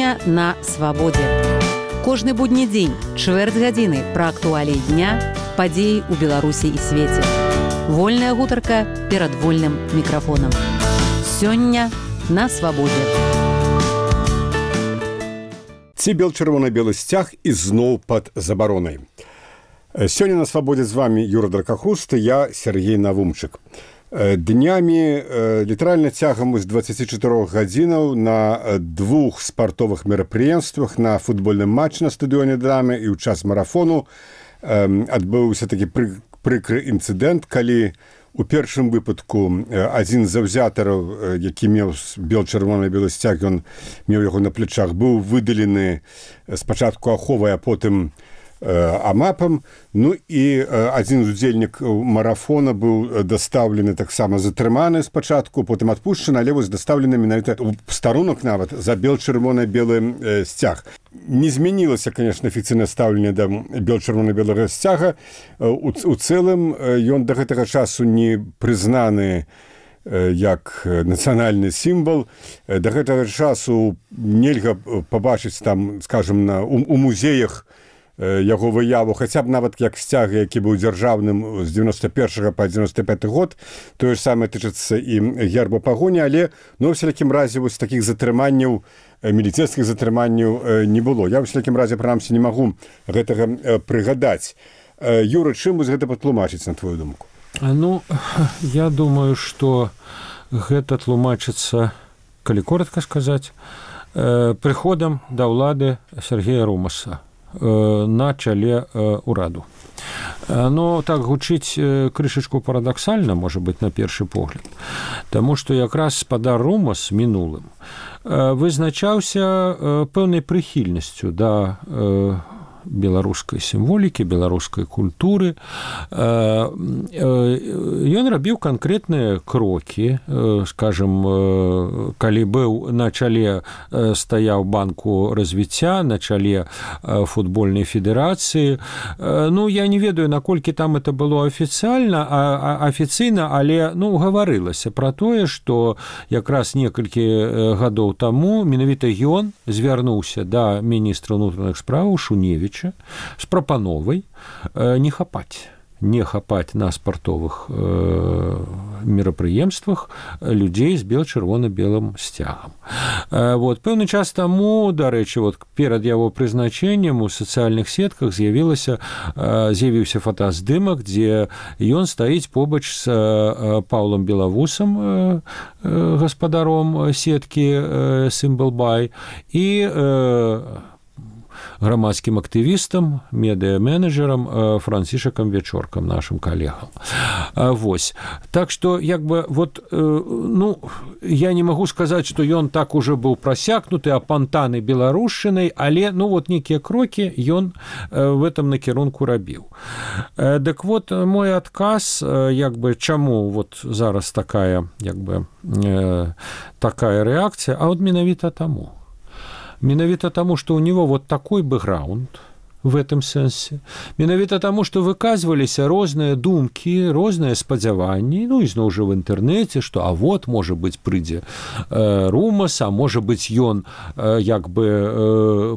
Сёння на свабодзе. Кожны будні дзень, чвэрць гадзіны пра актуаліі дня, падзеі ў Беларусі і свеце. Вольная гутарка перад вольным мікрафонам. Сёння на свабодзе. Ці бел-чырвона-белы сцяг ізноў пад забаронай. Сёння на свабодзе з вами Юра Дракахуст, я Сергей Навумчык. Днямі, літаральна цягам з 24 гадзінаў на двух спартовых мерапрыемствах, на футбольным матчы на стадыёне «Драмы» і ў час марафону адбыўся такі прыкры інцыдэнт, калі у першым выпадку адзін з заўзятараў, які меў бел-чырвона-белы сцяг, ён меў яго на плечах, быў выдалены спачатку аховай, а потым амапам. Ну і адзін з удзельнікаў марафона быў дастаўлены, таксама затрыманы спачатку, потым адпушчаны, але вось дастаўлены менавіта ў старонак нават за бел-чырвона-белы сцяг. Не змянілася, конечно, афіцыйнае стаўленне да бел-чырвона-белага сцяга. У цэлым ён да гэтага часу не прызнаны як нацыянальны сімвал. Да гэтага часу нельга пабачыць там, скажем, у музеях яго выяву, хаця б нават як сцяг, які быў дзяржаўным з 91 па 95 год. Тое ж самае тычыцца і герба пагоні, але ў всякім разе вось такіх затрыманняў, міліцейскіх затрыманняў не было. Я ў всякім разе, прынамсі, не магу гэтага прыгадаць. Юра, чым вось гэта патлумачыць, на твою думку? Ну, я думаю, што гэта тлумачыцца, калі коротка сказаць, прыходам да ўлады Сергея Румаса на чале ўраду. Ну, так гучыць крышачку парадаксальна, можа быць, на першы погляд. Таму што якраз спадар Румас минулым вызначаўся пэўнай прыхільнасцю да беларускай сімволікі, беларускай культуры. Ён рабіў канкрэтныя крокі, скажем, калі быў на чале, стаяў банку развіцця, на чале футбольнай федэрацыі. Ну, я не ведаю, наколькі там это было афіцыйна, але, гаварылася пра тое, што якраз некалькі гадоў таму менавіта ён звярнуўся да міністра ўнутраных спраў Шуневіча з прапановай не хапаць на спартовых мерапрыемствах людзей з бел-чырвона-белым сцягам. Вот, пэўны час таму, дарэчы, перад яго прызначэннем у сацыяльных сетках з'явіўся фотаздымак, дзе ён стаіць побач з Паўлам Белавусам, гаспадаром сеткі Сімбл-Бай, і грамадскім актывістам, медыа-менеджерам Францішакам Вечоркам, нашым калегам. Вось. Так што, я не магу сказаць, што ён так уже быў прасякнуты, апантаны беларушчынай, але, некія крокі ён в этом накірунку рабіў. Дык вот, мой адказ, чаму зараз такая рэакцыя, а менавіта таму. Менавіта таму, што ў него такой бэкграунд в этом сэнсе. Менавіта таму, што выказваліся розныя думкі, розныя спадзяванні, ізноў жа в інтэрнэце, што можа быць, прыйдзе Румас, а можа быць, ён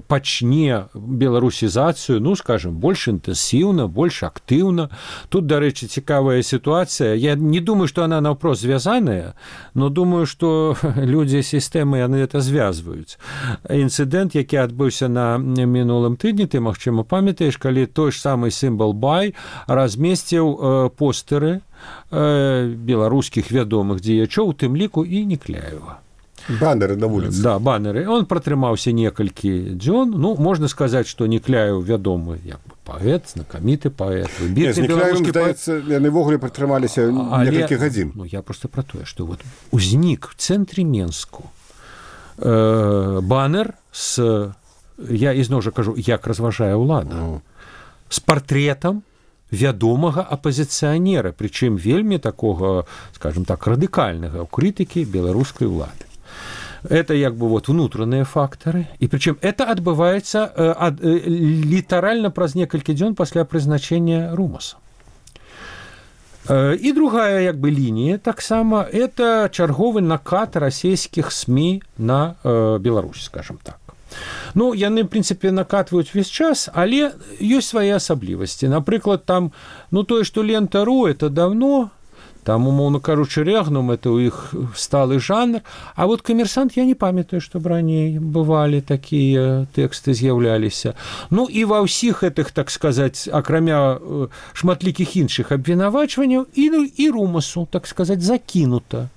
пачне беларусізацыю, скажем, больш інтэнсіўна, больш актыўна. Тут, дарэчы, цікавая сітуацыя. Я не думаю, што она наўпрост звязаная, но думаю, што людзі сістэмы яны это звязваюць. Інцыдэнт, які адбыўся на мінулым тыдні, ты, магчыма, памятаеш, калі той ж самы Сімбл-Бай размесціў постэры беларускіх вядомых дзеячоў, у тым ліку і Некляева. Баннеры на вуліцы. Да, баннеры. Он пратрымаўся некалькі дзён. Можна сказаць, што Некляеў вядомы паэт, знакаміты паэт, выбітны беларускі паэт. Яны ввогуле пратрымаліся некалькі гадзін. Я проста пра тое, што узнік в цэнтры Менску баннер з, я ізноў жа кажу, як разважае ўлада, з партрэтам вядомага апазіцыянера, прычым вельмі такога, скажем так, радыкальнага ў крытыкі беларускай улады. Это внутренние факторы. И причем это отбывается литерально праз некалькі дзён пасля прызначэння Румаса. И другая линия, таксама, это чарговы накат расійскіх СМИ на Беларусь, скажем так. Ну, яны, в прынцыпе, накатваюць увесь час, але ёсць свае асаблівасці. Напрыклад, там, ну, тое, што Лента.ру, это давно, там, умоўно кажучы, Рэгнум, это ў іх сталы жанр, а вот Камерсант, я не памятаю, што раней бывалі такія тэксты з'яўляліся. Ну, і ва ўсіх гэтых, так сказаць, акрамя шматлікіх іншых абвінавачванняў, і румасу, так сказаць, закінута,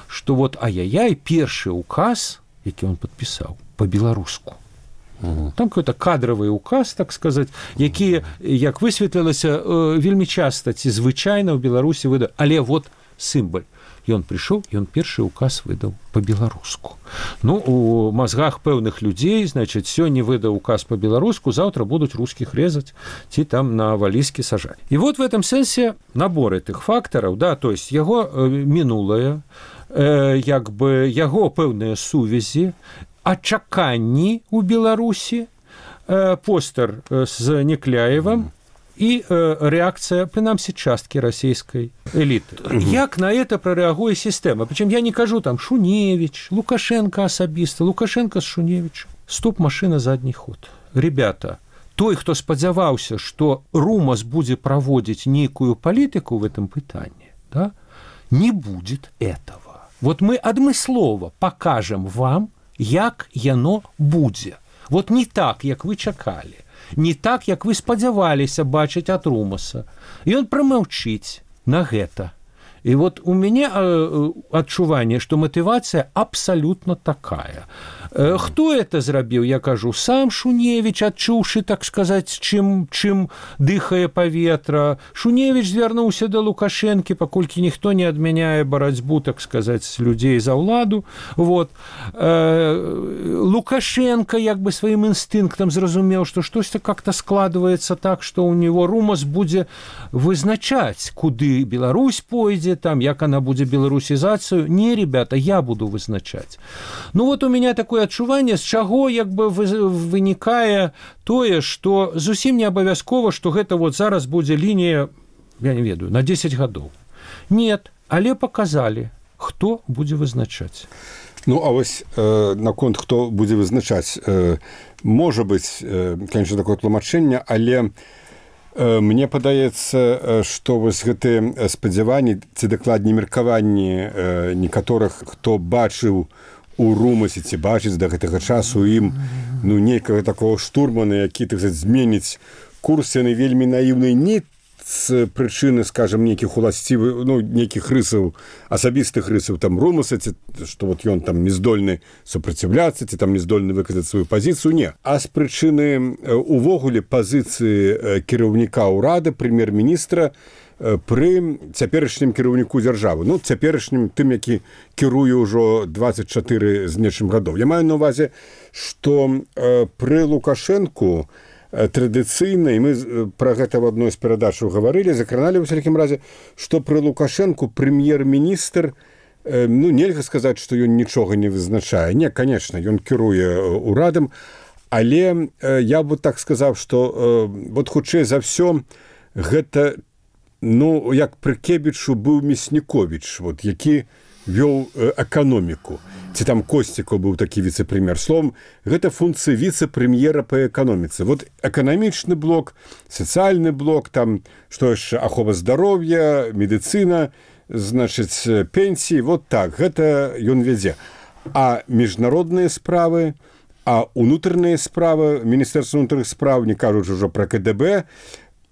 што вот, ай-яй-яй, першы указ, які он падпісаў, па-беларуску. Там какой-то кадровый указ, так сказать, які, як высветлілася, вельмі часта ці звычайна ў Беларусі выдаў, але вот сімвал. Ён прыйшоў, ён першы указ выдаў па-беларуску. Ну, у мазгах пэўных людзей, значит, сёння выдаў указ па-беларуску, заўтра будуць рускіх резаць ці там на валізкі сажаць. І вот в этом сэнсе набор этих фактараў, да, то есть яго минулае, як бы яго пэўныя сувязі, ачаканні ў Беларусі, постер з Некляевым і рэакцыя, прынамсі, часткі расійскай эліты. Як на это прарэагуе сістэма? Прычым я не кажу там Шуневіч, Лукашенко асабіста, Лукашенко з Шуневічем. Стоп, машина, задний ход. Ребята, той, хто спадзяваўся, што Румас будзе праводзіць нейкую палітыку в этом пытанні, да, не будет этого. Вот мы адмыслова покажем вам, як яно будзе. Вот не так, як вы чакалі, не так, як вы спадзяваліся бачыць ад Румаса. І ён прамаўчыць на гэта. І вот у мяне адчуванне, што матывацыя абсалютна такая. Хто это зрабіў, я кажу, сам Шуневіч, адчуўшы, так сказаць, чым дыхае паветра. Шуневіч звярнуўся да Лукашэнкі, паколькі ніхто не адмяняе барацьбу, так сказаць, людзей за ўладу. Вот. Лукашенко як бы сваім інстынктам зразумеў, што штосьці как-то складваецца так, што ў него Румас будзе вызначаць, куды Беларусь пойдзе, там, як она будзе беларусізацыю. Не, ребята, я буду вызначаць. Ну вот у меня такое адчуванне, з чаго як бы вынікае тое, што зусім не абавязкова, што гэта вот зараз будзе лінія, я не ведаю, на 10 гадоў. Нет, але паказалі, хто будзе вызначаць. Ну, а вось наконт, хто будзе вызначаць, можа быць, конечно, такое тлумачэнне, але мне падаецца, што вось гэтыя спадзяванні ці дакладней меркаванні некаторых, хто бачыў у Румасе ці бачыць да гэтага часу ім, ну, нейкага такого штурмана, які, так сказаць, зменіць курс, яны вельмі наіўныя не з прычыны, скажем, нейкіх уласцівых, ну, нейкіх рысаў, асабістых рысаў там Румаса, ці што вот ён там не здольны супраціўляцца, ці там не здольны выказаць сваю пазіцыю, не. А з прычыны увогуле пазіцыі кіраўніка ўрада, прэм'ер-міністра пры цяперашнім кіраўніку дзяржавы. Ну, цяперашнім тым, які кіруе ўжо 24 з нечым гадоў. Я маю на ўвазе, што пры Лукашэнку традыцыйна, і мы пра гэта в адной з перадачаў гаварылі, закраналі ў усялякім разе, што пры Лукашэнку прэм'ер-міністр, ну, нельга сказаць, што ён нічога не вызначае. Не, конечно, ён кіруе урадам, але я бы так сказаў, што вот хутчэй за ўсё гэта, ну, як пры Кебічу быў Мясніковіч, вот, які вёў эканоміку. Ці там Косцікаў быў такі віцэ-прэм'ер. Словом, гэта функцыя віцэ-прэм'ера па эканоміцы. Вот эканамічны блок, сацыяльны блок, там, што яшчэ, ахова здароўя, медыцына, значыць, пенсіі, вот так, гэта ён вядзе. А міжнародныя справы, а унутраныя справы, Міністэрства ўнутраных спраў, не кажуць ужо пра КДБ,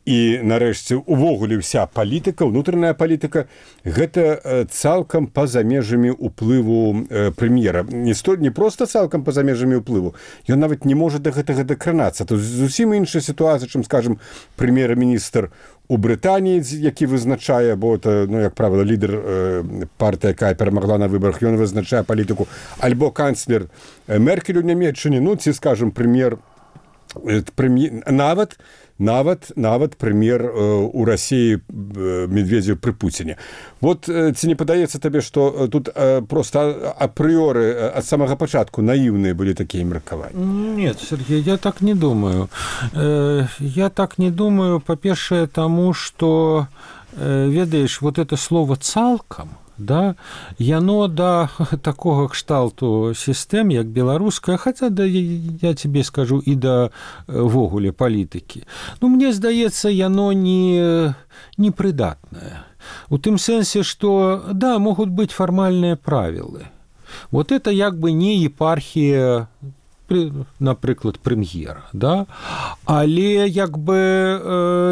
і, нарэшце, увогуле ўся палітыка, унутраная палітыка, гэта цалкам па-за межамі ўплыву прэм'ера. Не проста цалкам па-за межамі ўплыву, ён нават не можа да гэтага дакранацца. Тут зусім іншая сітуацыя, чым, скажем, прэм'ер-міністр у Брытаніі, які вызначае, бо это, ну, як правіла, лідар партыі, якая перамагла на выбарах, ён вызначае палітыку, альбо канцлер Меркель у Нямецчыне, ну, ці, скажем, нават прэм'ер у Расіі Медведзеў пры Пуціне. Вот ці не падаецца табе, што тут проста апрыоры ад самага пачатку наіўныя былі такія меркаванні? Нет, Сергей, я так не думаю. Я так не думаю, па-першае, таму, што, ведаеш, вот это слово «цалкам», да, яно да такога кшталту сістэм, як беларуская, хаця да, я тебе скажу, і да ввогуле палітыкі. Ну, мне здаецца, яно непрыдатнае. У тым сэнсе, што, да, могуць быць фармальныя правілы. Вот это як бы не епархія, напрыклад, прэм'ера, да? Але як бы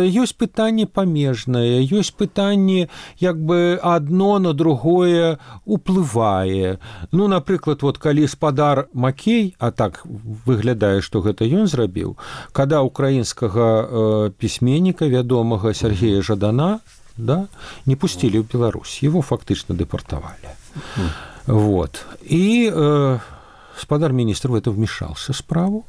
ёсць пытанні памежныя, ёсць пытанні як бы адно на другое уплывае. Ну, напрыклад, вот калі спадар Макей, а так выглядае, што гэта ён зрабіў, када украінскага пісьменніка вядомага Сергея Жадана, да, не пусцілі ў Беларусь, его фактычна дэпартавалі. Вот. И господар министр в это вмешался в справу,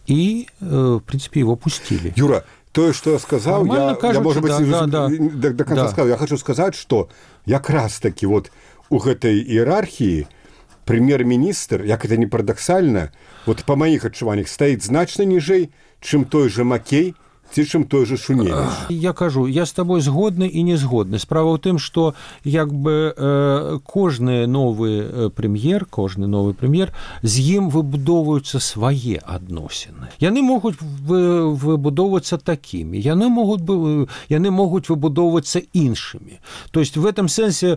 и, в принципе, его пустили. Юра, то, что я сказал, я, может быть, до конца сказал. Я хочу сказать, что как раз-таки вот у этой иерархии премьер-министр, как это не парадоксально, вот по моих адчуваннях, стоит значно ниже, чем той же Макей, ці чым той же Шуневіч. Я кажу, я з табой згодны і не згодны. Справа ў тым, што як бы кожны новы прэм'ер, з ім выбудоўваюцца свае адносіны. Яны могуць выбудоўвацца такімі, яны могуць выбудоўвацца іншымі. То есть в этом сэнсе,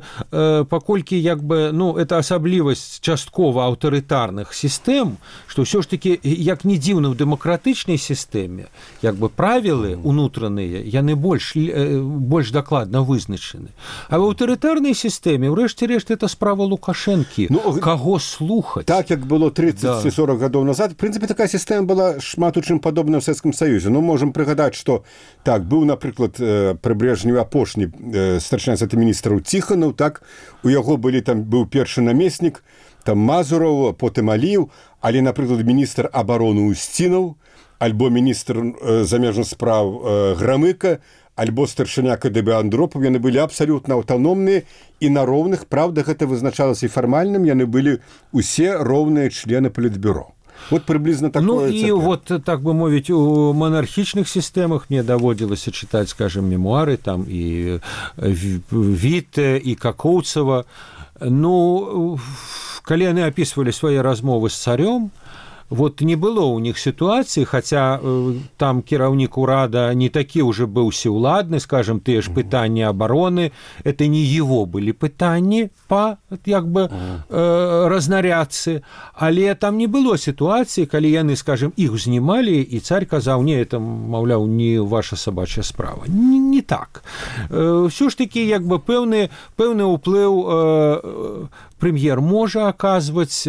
паколькі як бы, ну, это асаблівасць часткова аўтарытарных сістэм, што ўсё ж такі, як не дзіўна, ў дэмакратычнай сістэме, як бы правілы унутраныя, яны больш дакладна вызначаны. А в аўтарытарнай сістэме, ўрэшце рэшт, это справа Лукашэнкі. Каго слухаць? Так, як было 30 ці 40 гадоў назад, в прынцыпе, такая сістэма была шмат у чым падобна ў Савецкім Саюзе. Ну, можам прыгадаць, што так, быў, напрыклад, пры Брежневе апошні старшыня Савета міністраў Ціханаў, так, у яго быў першы намеснік, там Мазураў, потым Аліў, але, напрыклад, міністр абароны Устінаў, альбо міністр замежных справ Грамыка, альбо старшыня КДБ Андропаў, яны былі абсалютна аўтаномныя і на роўных, правда, гэта вызначалася і фармальным, яны былі усе роўныя члены палітбюро. Вот приблизно такое. Ну и вот, так бы мовить, у монархичных системах мне доводилось читать, скажем, мемуары, там и Витте, и Какоўцева. Ну, калі яны описывали свои размовы с царем, вот не было у них ситуации, хотя там кіраўнік урада не такі уже быў всеуладны, скажем, тыя ж пытанні обороны, это не его были пытанні по, як бы, разнарядцы, але там не было ситуации, калі яны, скажем, іх знімалі, і царь казаў, не, это, маўляў, не ваша сабачая справа. Не так. Все ж таки, як бы, пэўны ўплыў прэм'ер можа аказваць,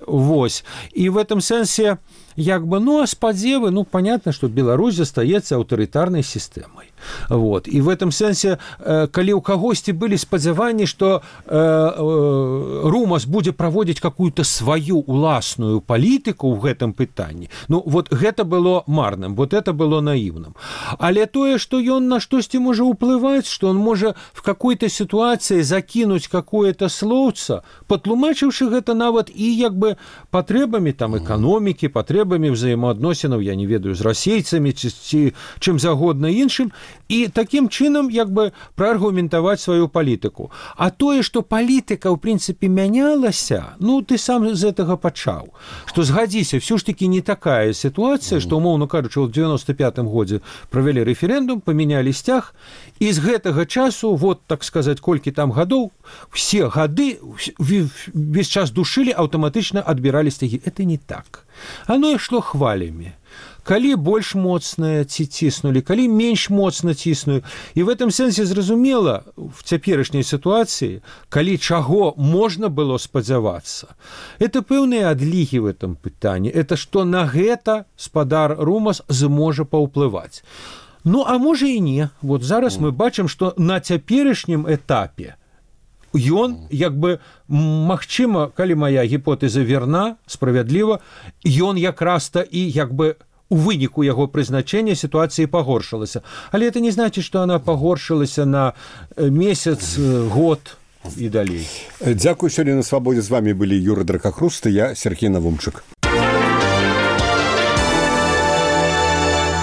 вось. И в этом сенсе, як бы, ну, а спадзевы, ну, понятно, что Беларусь застаецца аўтарытарнай сістэмай. Вот. И в этом сенсе, калі ў кагосьці былі спадзяванні, што Румас будзе праводзіць какую-то сваю уласную палітыку ў гэтым пытанні, ну, вот гэта было марным, вот это было наивным. Але тое, што ён на штосьці можа ўплываць, што он можа в какой-то ситуации закінуць какое-то словца, патлумачыўшы гэта нават і, як бы, патрэбамі там эканомікі, патрэбамі взаемаадносінаў, я не ведаю, з расейцамі ці чым загодна іншым, і такім чынам, як бы, прааргументаваць сваю палітыку. А тое, што палітыка, ў прынцыпе, мянялася, ну, ты сам з гэтага пачаў. Што, згадзіся, ўсё ж такі не такая сітуацыя, што, умоўна кажучы, ў 95-м годзе правялі рэферэндум, памянялі сцяг, і з гэтага часу, вот, так сказаць, колькі там гадоў, все гады, весь час душылі, аўтаматычна адбіралі сцягі. Это не так. Оно ішло хвалямі. Калі больш моцна ціснулі, калі менш моцна ціснулі. І в этом сэнсе зразумела, в цяперашняй сітуацыі, калі чаго можна было спадзявацца, это пэўныя адлігі в этом пытанні. Это што на гэта спадар Румас зможа паўплываць. Ну, а можа і не. Вот зараз мы бачым, што на цяперашнім этапе ён, як бы, магчыма, калі моя гіпотэза верна, справядліва, ён якраз-то і, як бы, у выніку яго прызначэння сітуацыі пагоршылася. Але это не значит, што она пагоршылася на месяц, год і далей. Дзякую, сёння на свабодзе з вами былі Юра Дракахруст і я, Сергей Навумчык.